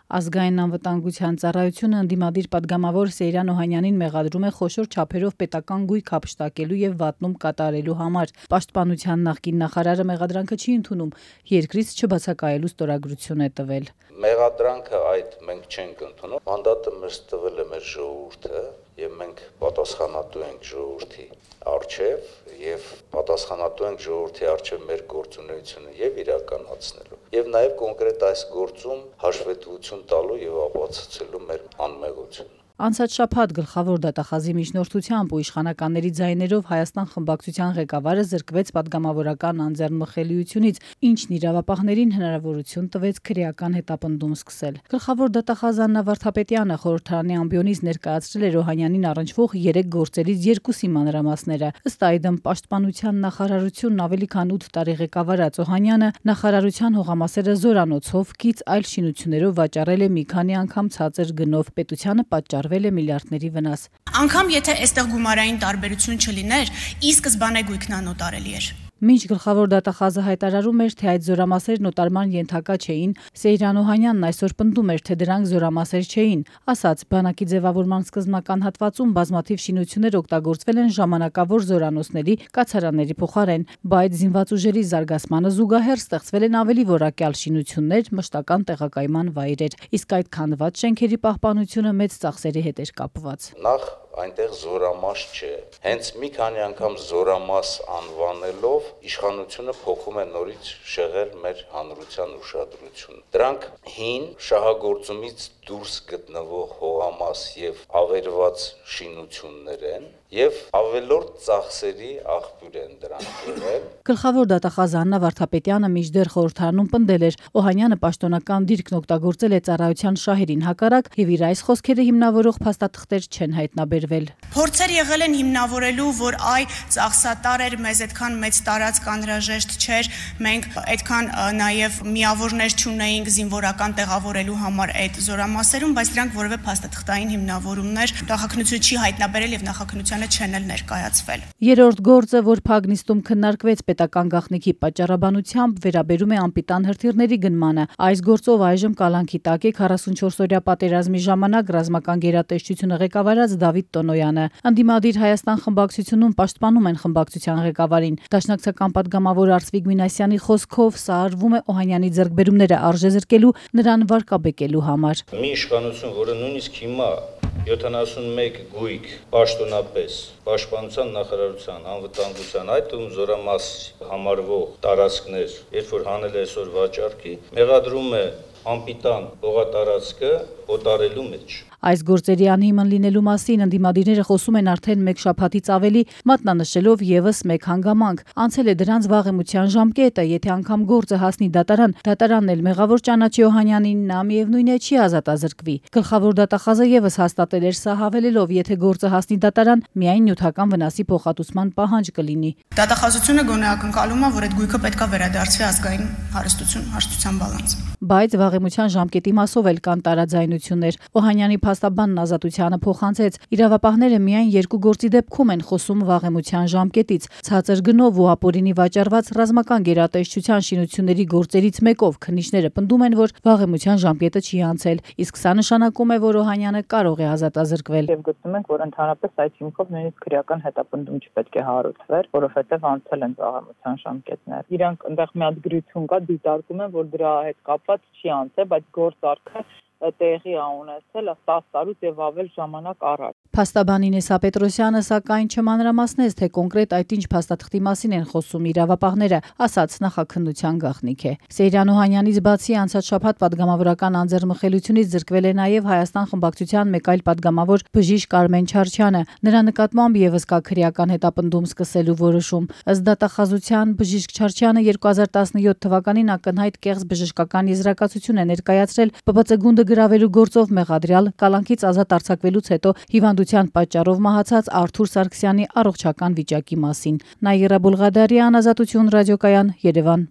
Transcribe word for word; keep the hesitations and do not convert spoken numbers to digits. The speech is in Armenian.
Ազգային անվտանգության ծառայությունը ընդդիմադիր պատգամավոր Սեյրան Օհանյանին մեղադրում է խոշոր չափերով պետական գույք հափշտակելու եւ վատնում կատարելու համար։ Պաշտպանության նախկին նախարարը մեղադրանքը չի ընդունում, երկրից չբացակայելու ստորագրություն է տվել։ Մեղադրանքը այդ մենք չենք ընդունում, մանդատը մեզ տվել է մեր ժողովուրդը եւ մենք պատասխանատու ենք ժողովրդի առջեւ եւ պատասխանատու ենք ժողովրդի առջեւ մեր գործունեությունը եւ իրականացնելու եւ նաեւ կոնկրետ այս գործում հաշվետվություն տալու եւ ապացուցելու մեր անմեղությունը։ Անցած շաբաթ գլխավոր դատախազի միջնորդությամբ ու իշխանականների ձայներով Հայաստան խմբակցության ղեկավարը զրկվեց պատգամավորական անձեռնմխելիությունից, ինչն իրավապահներին հնարավորություն տվեց քրեական հետապնդում սկսել։ Գլխավոր դատախազ Աննա Վարդապետյանը խորհրդարանի ամբիոնից ներկայացրել էր Օհանյանին առնչվող երեք գործերից երկուսի մանրամասները։ Ըստ այդմ պաշտպանության նախարարությունն ավելի քան ութ տարի ղեկավարած Օհանյանը նախարարության հողամասերը զորանոցով, կից այլ շինություններով վաճառել է մի քանի անգամ ցածր գնով, պետությանը պատճառ միլիարդների վնաս։ Անկամ եթե այստեղ գումարային տարբերություն չլիներ, ի սկզբանե գույքն անօտարելի էր։ Մինչ գլխավոր դատախազը հայտարարում էր, թե այդ զորամասերն օտարման ենթակա չէին, Սեյրան Օհանյանն այսօր պնդում էր, թե դրանք զորամասեր չէին։ Ասաց, բանակի ձևավորման սկզբնական հատվածում բազմաթիվ շինություններ օգտագործվել են ժամանակավոր զորանոցների, կացարանների փոխարեն, բայց զինված ուժերի զարգացմանը զուգահեռ ստեղծվել են ավելի որակյալ շինություններ, մշտական տեղակայման վայրեր, իսկ այդ քանդված շենքերի պահպանությունը մեծ ծախսերի հետ էր կապված։ Նախ այնտեղ զորամաս չէ, հենց մի քանի անգամ զորամաս անվանելով իշխանությունը փոխում է նորից շեղել մեր հանրության ուշադրությունը։ Դրանք հին շահագործումից դուրս գտնվող հողամաս եւ ավերված շինություններ են եւ ավելորդ ծախսերի աղբյուր են դրանք եղել։ Գլխավոր դատախազ Աննա Վարդապետյանը մինչդեռ խորհրդարանում պնդել էր, Օհանյանը պաշտոնական դիրքն օգտագործել է ծառայության շահերին հակառակ եւ իր այս խոսքերը հիմնավորող փաստաթղթեր չեն հայտնաբերվել։ Փորձեր եղել են հիմնավորելու, որ այ ծախսատար էր, մեզ այդքան մեծ տարածք անհրաժեշտ չէր, մենք այդքան նաեւ միավորներ չունեինք զինվորական տեղավորելու համար այդ զորամասերում, բայց դրանք որևէ փաստաթղթային հիմնավորումներ նախաքննությունը չի հայտնաբերել եւ նախաքննությանը չեն էլ ներկայացվել։ Երրորդ գործը, որ Փագնիստում քննարկվեց պետական գաղտնիքի պատճառաբանությամբ, վերաբերում է անպիտան հրթիռների գնմանը։ Այս գործով այժմ կալանքի տակ է քառասունչորսօրյա պատերազմի ժամանակ ռազմական գերատեսչությունը ղեկավարած Դավիթ Տոնոյանը։ Ընդդիմադիր Հայաստան խմբակցությունում պաշտպանում են խմբակցության ղեկավարին։ Դաշնակցական պատգամավոր Արծվիկ Մինասյանի խոսքով սա արվում է Օհանյանի ձեռքբերումները արժեզրկելու, նրան վարկաբեկելու համար։ Մի իշխանություն, որը նույնիսկ հիմա յոթանասունմեկ գույք պաշտոնապես պաշտպանության նախարարության անվտանգության այդ ու զորամաս համարվող տարածքներ, երբ որ հանել է այսօր վաճառքի, մեղադրում է անպիտան հողատարածքը օտարելու մեջ։ Այս գործերի անհիմն լինելու մասին ընդդիմադիրները խոսում են արդեն մեկ շաբաթից ավելի, մատնանշելով եւս մեկ հանգամանք։ Անցել է դրանց վաղեմության ժամկետը, եթե անգամ գործը հասնի դատարան, դատարանն էլ մեղավոր ճանաչի Օհանյանին, նա միևնույն է չի ազատազրկվի։ Գլխավոր դատախազը եւս հաստատել էր սա, հավելելով, եթե գործը հասնի դատարան, միայն նյութական վնասի փոխհատուցման պահանջ կլինի։ Դատախազությունը գոնե ակնկալում է, որ այդ գույքը պետք է վերադարձվի ազգային հարստություն հաշտության բալանս։ Բայց վաղեմության ժամկետի մասով էլ կան տարաձայնություններ։ Օհանյանի փաստաբանն ազատությանը փոխանցեց, իրավապահները միայն երկու գործի դեպքում են խոսում վաղեմության ժամկետից։ Ցածր գնով ու ապօրինի վաճառված ռազմական գերատեսչության շինությունների գործերից մեկով քննիչները պնդում են, որ վաղեմության ժամկետը չի անցել, իսկ սա նշանակում է, որ Օհանյանը կարող է ազատազրկվել։ Եվ գտնում ենք, որ ընդհանրապես այդ հիմքով նույնիսկ քրեական հետապնդում չպետք է հարուցվեր, որովհետև անցել են վաղեմության ժամկետներ։ Իրանք այնտեղ մի հատ գրություն կա, դիտարկում են, որ դրա հետ կապված չի անցել, բայց գործարքը տեղի ա ունեցել տասը տարուց եւ ավել ժամանակ առաջ։ Փաստաբան Ինեսա Պետրոսյանը սակայն չմանրամասնեց, թե կոնկրետ այդ ինչ փաստաթղթի մասին են խոսում իրավապահները, ասաց նախաքննության գաղտնիք է։ Սեյրան Օհանյանից բացի անցած շաբաթ պատգամավորական անձեռնմխելիությունից զրկվել է նաև Հայաստան խմբակցության մեկ այլ պատգամավոր բժիշկ Արմեն Չարչյանը։ Նրա նկատմամբ եւս կա քրեական հետապնդում սկսելու որոշում։ Ըստ դատախազության բժիշկ Չարչյանը երկու հազար տասնյոթ թվականին ակնհայտ կեղծ բժշկական եզրակացություն է ներկայացրել Պ Բ Ց գունդը գրավելու գործով մեղադրյալ կալանքից ազատ արձակվելուց հետո հիվանդության պատճառով մահացած Արթուր Սարգսյանի առողջական վիճակի մասին։ Նաիրա Բուլղադարյան, Ազատություն ռադիոկայան, Երևան։